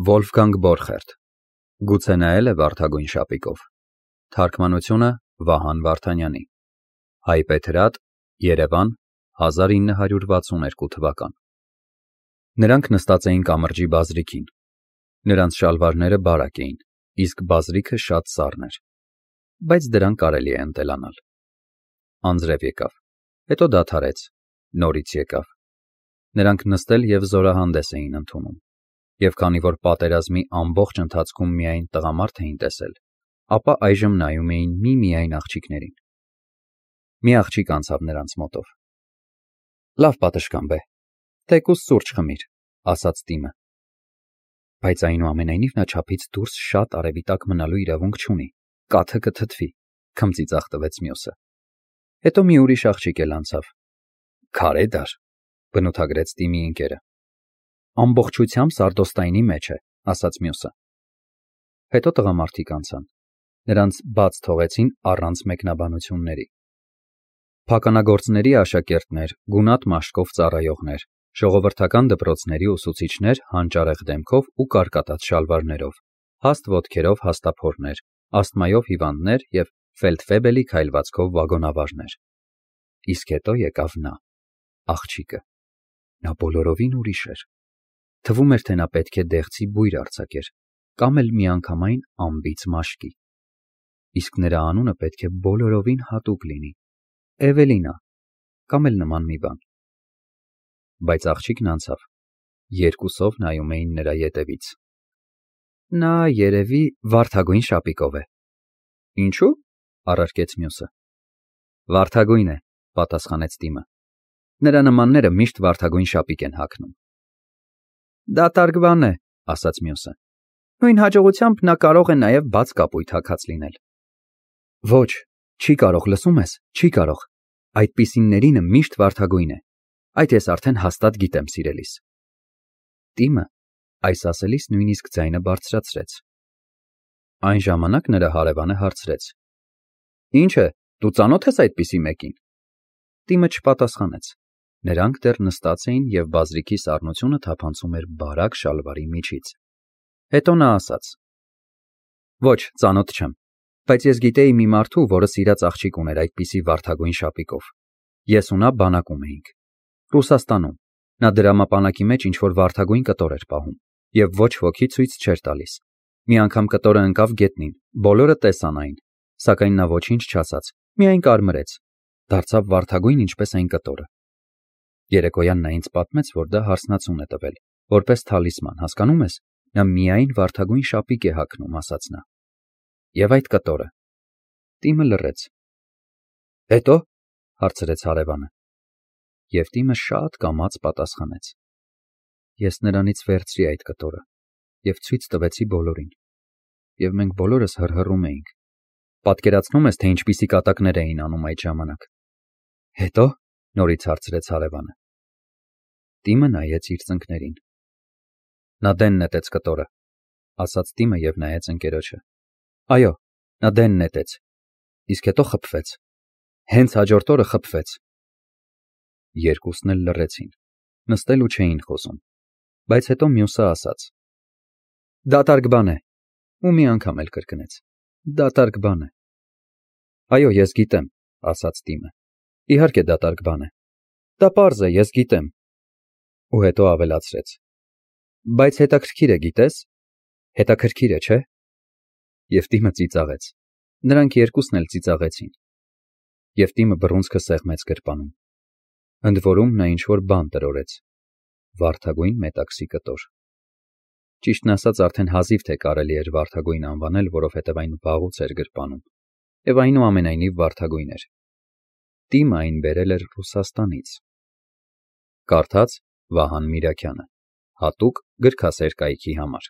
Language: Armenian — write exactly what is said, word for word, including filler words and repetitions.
Վոլֆգանգ Բորխերտ, գուցե նայել է վարդագույն շապիկով, թարգմանությունը Վահան Վարդանյանի, հայբեթրատ, Երևան, հազար ինը հարյուր վաթսունութ թվական։ Նրանք նստած էին կամրջի բազրիքին, նրանց շալվարները բարակ էին, իսկ բազրիքը շատ սառն էր, բայց դրան կարելի է ընտելանալ։ Անձրև եկավ, հետո դադարեց, նորից եկավ։ Նրանք նստել և զորահանդես էին ընդունում, և քանի որ պատերազմի ամբողջ ընթացքում միայն տղամարդ էին տեսել, ապա այժմ նայում էին միմիայն աղջիկներին։ Մի աղջիկ անցավ նրանց մոտով։ Լավ պատշգամբ է, թեկուզ սուրճ խմիր, ասաց Տիմը։ Բայց այնուամենայնիվ նա չափից դուրս շատ արևի տակ մնալու իրավունք չունի, կաթը կթթվի, քմծիծաղ տվեց մյուսը։ Հետո մի ուրիշ աղջիկ էլ անցավ։ Քարե դար, բնութագրեց Տիմի ընկերը։ Ամբողջությամբ սարդոստայնի մեջ է, ասաց մյուսը։ Հետո տղամարդիկ անցան, նրանց բաց թողեցին առանց մեկնաբանությունների։ Փականագործների աշակերտներ, գունատ մաշկով ծառայողներ, ժողովրդական դպրոցների ուսուցիչներ հանճարեղ դեմքով ու կարկատած շալվարներով, հաստ ոտքերով հաստափորներ, ասթմայով հիվանդներ և ֆելդֆեբելի քայլվածքով վագոնավարներ։ Իսկ հետո եկավ նա, աղջիկը։ Նա բոլորովին ուրիշ էր։ Թվում էր, թե նա պետք է դեղցի բույր արձակեր, կամ էլ միանգամայն անբիծ մաշկի։ Իսկ նրա անունը պետք է բոլորովին հատուկ լինի, Էվելինա, կամ էլ նման մի բան։ Բայց աղջիկն անցավ, երկուսով նայում էին նրա ետևից։ Նա երևի վարդագույն շապիկով է։ Ինչու՞, առարկեց մյուսը։ Վարդագույն է, պատասխանեց Տիմը։ Նրա նմանները միշտ վարդագույն շապիկ են հագնում։ Դատարկ բան է, ասաց մյուսը։ Նույն հաջողությամբ նա կարող է նաև բաց կապույտ հագած լինել։ Ոչ, չի կարող, լսում ես, չի կարող։ Այդպիսիներինը միշտ վարդագույն է։ Այդ ես արդեն հաստատ գիտեմ, սիրելիս։ Տիմը այս ասելիս նույնիսկ ձայնը բարձրացրեց։ Այն ժամանակ նրա հարևանը հարցրեց. Ինչ է, դու ծանոթ ես այդպիսի մեկին։ Տիմը չպատասխանեց։ Նրանք դեռ նստած էին և բազրիքի սառնությունը թափանցում էր բարակ շալվարի միջից։ Հետո նա ասաց. Ոչ, ծանոթ չեմ, բայց ես գիտեի մի մարդու, որը սիրած աղջիկ ուներ այդպիսի վարդագույն շապիկով։ Ես ու նա բանակում էինք։ Ռուսաստանում։ Նա դրամապանակի մեջ ինչ-որ վարդագույն կտոր էր պահում և ոչ ոքի ցույց չէր տալիս։ Մի անգամ կտորը ընկավ գետնին, բոլորը տեսան այն, սակայն նա ոչինչ չասաց, միայն կարմրեց, դարձավ վարդագույն ինչպես այն կտորը։ Երեկոյան նա ինձ պատմեց, որ դա հարսնացուն է տվել, որպես թալիսման, հասկանում ես, նա միայն վարդագույն շապիկ է հագնում, ասաց նա։ Եվ այդ կտորը։ Տիմը լռեց։ Հետո, հարցրեց հարևանը։ Եվ Տիմը շատ կամաց պատասխանեց. Ես նրանից վերցրի այդ կտորը և ցույց տվեցի բոլորին, և մենք բոլորս հռհռում էինք։ Պատկերացնում ես, թե ինչպիսի կատակներ էին անում այդ ժամանակ։ Հետո, նորից հարցրեց հարևանը։ Տիմը նայեց իր ծնկներին։ Նա դեն նետեց կտորը, ասաց Տիմը և նայեց ընկերոջը։ Այո, նա դեն նետեց, իսկ հետո խփվեց։ Հենց հաջորդ օրը խփվեց։ Երկուսն էլ լռեցին, նստել ու չէին խոսում, բայց հետո մյուսը ասաց. Դատարկ բան է, ու մի անգամ էլ կրկնեց. Դատարկ բան է։ Այո, ես գիտեմ, ասաց Տիմը։ Իհարկե դատարկ բան է։ Դա պարզ է, ես գիտեմ։ Ու հետո ավելացրեց. Բայց հետաքրքիր է, գիտես։ Հետաքրքիր է, չէ՞։ Եվ Տիմը ծիծաղեց։ Նրանք երկուսն էլ ծիծաղեցին։ Եվ Տիմը բռունցքը սեղմեց գրպանում։ Ընդ որում նա ինչ-որ բան տրորեց։ Վարդագույն մետաքսի կտոր։ Ճիշտն ասած, արդեն հազիվ թե կարելի էր վարդագույն անվանել, որովհետև այն վաղուց էր գրպանում, և այնուամենայնիվ վարդագույն էր։ Տիմը այն բերել էր Ռուսաստանից։ Կարդաց Վահան Միրաքյանը, հատուկ գրքասեր կայքի համար։